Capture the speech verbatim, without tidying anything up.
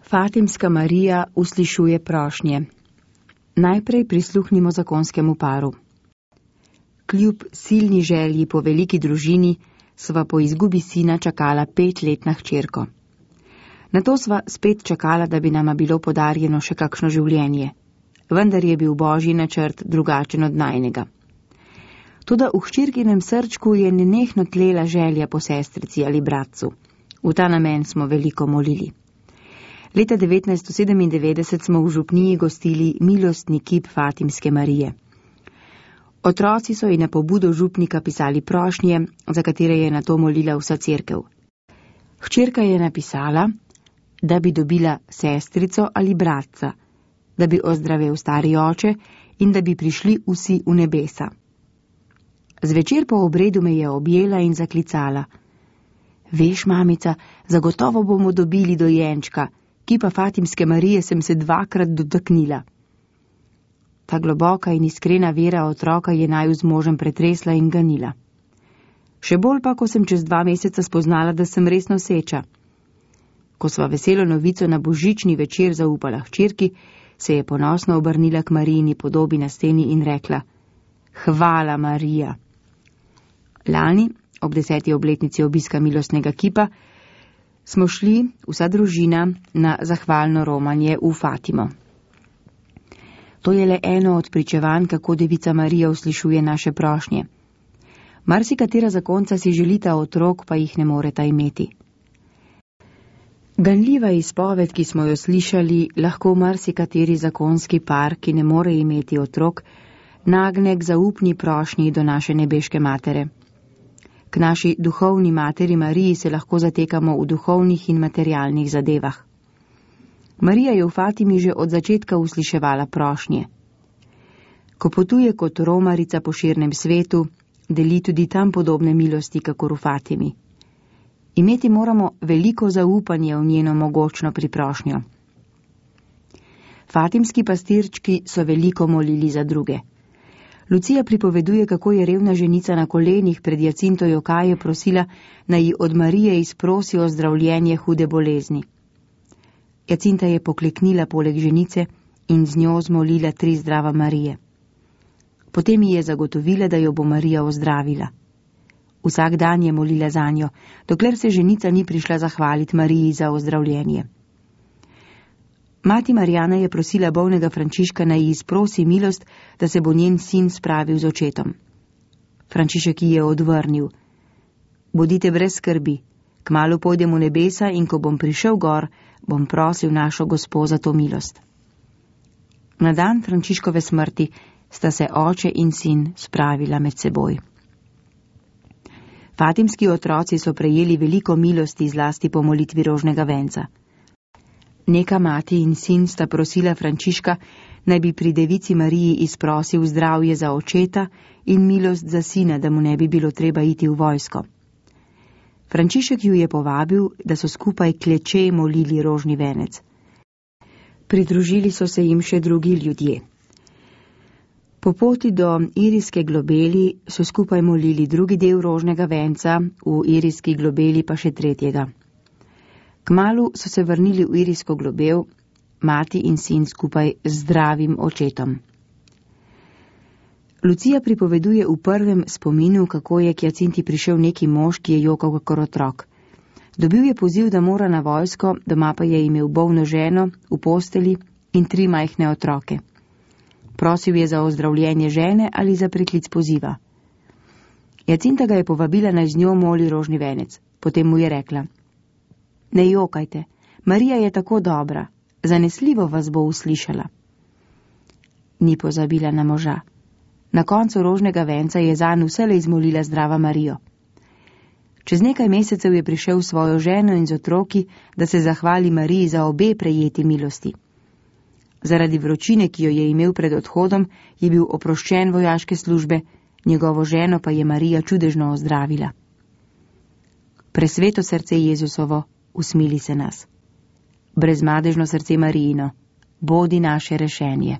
Fatimska Marija uslišuje prošnje. Najprej prisluhnimo zakonskemu paru. Kljub silni želji po veliki družini sva po izgubi sina čakala petletna hčerko. Nato sva spet čakala, da bi nama bilo podarjeno še kakšno življenje, vendar je bil božji načrt drugačen od najnega. Toda v hčerkinem srčku je nenehno tlela želja po sestrici ali bratcu. V ta namen smo veliko molili. Leta devetnajststo sedemindevetdeset smo v župniji gostili milostni kip Fatimske Marije. Otroci so ji na pobudo župnika pisali prošnje, za katere je nato molila vsa cerkev. Hčerka je napisala, da bi dobila sestrico ali bratca, da bi ozdravel stari oče in da bi prišli vsi v nebesa. Zvečer po obredu me je objela in zaklicala. Veš, mamica, zagotovo bomo dobili dojenčka, kipa Fatimske Marije sem se dvakrat dotaknila. Ta globoka in iskrena vera otroka je naju z možem pretresla in ganila. Še bolj pa, ko sem čez dva meseca spoznala, da sem res noseča. Ko sva veselo novico na božični večer zaupala hčerki, se je ponosno obrnila k Marijini podobi na steni in rekla: Hvala, Marija. Lani, ob deseti obletnici obiska milostnega kipa, smo šli, vsa družina, na zahvalno romanje v Fatimo. To je le eno od pričevanj, kako devica Marija uslišuje naše prošnje. Marsikatera zakonca si želita otrok, pa jih ne moreta imeti. Ganljiva izpoved, ki smo jo slišali, lahko marsikateri zakonski par, ki ne more imeti otrok, nagne k zaupni prošnji do naše nebeške matere. K naši duhovni materi Mariji se lahko zatekamo v duhovnih in materialnih zadevah. Marija je v Fatimi že od začetka usliševala prošnje. Ko potuje kot romarica po širnem svetu, deli tudi tam podobne milosti, kakor v Fatimi. Imeti moramo veliko zaupanje v njeno mogočno priprošnjo. Fatimski pastirčki so veliko molili za druge. Lucija pripoveduje, kako je revna ženica na kolenih pred Jacinto Jokaje prosila, naj ji od Marije izprosi ozdravljenje hude bolezni. Jacinta je pokleknila poleg ženice in z njo zmolila tri zdrava Marije. Potem ji je zagotovila, da jo bo Marija ozdravila. Vsak dan je molila zanjo, dokler se ženica ni prišla zahvaliti Mariji za ozdravljenje. Mati Marijana je prosila bolnega Frančiška, naj ji izprosi milost, da se bo njen sin spravil z očetom. Frančišek ji je odvrnil: Bodite brez skrbi, kmalu pojdem v nebesa in ko bom prišel gor, bom prosil našo Gospo za to milost. Na dan Frančiškove smrti sta se oče in sin spravila med seboj. Fatimski otroci so prejeli veliko milosti zlasti po molitvi rožnega venca. Neka mati in sin sta prosila Frančiška, naj bi pri devici Mariji izprosil zdravje za očeta in milost za sina, da mu ne bi bilo treba iti v vojsko. Frančišek ju je povabil, da so skupaj kleče molili rožni venec. Pridružili so se jim še drugi ljudje. Po poti do Irijske globeli so skupaj molili drugi del rožnega venca, v Irijski globeli pa še tretjega. Kmalu so se vrnili v Irijsko globel, mati in sin skupaj z zdravim očetom. Lucija pripoveduje v prvem spominu, kako je k Jacinti prišel neki mož, ki je jokal kakor otrok. Dobil je poziv, da mora na vojsko, doma pa je imel bolno ženo v posteli in tri majhne otroke. Prosil je za ozdravljenje žene ali za preklic poziva. Jacinta ga je povabila, naj z njo moli rožni venec. Potem mu je rekla: Ne jokajte, Marija je tako dobra, zanesljivo vas bo uslišala. Ni pozabila na moža. Na koncu rožnega venca je zanj vselej izmolila zdrava Marijo. Čez nekaj mesecev je prišel s svojo ženo in z otroki, da se zahvali Mariji za obe prejeti milosti. Zaradi vročine, ki jo je imel pred odhodom, je bil oproščen vojaške službe, njegovo ženo pa je Marija čudežno ozdravila. Presveto srce Jezusovo, usmili se nas. Brezmadežno srce Marijino, bodi naše rešenje.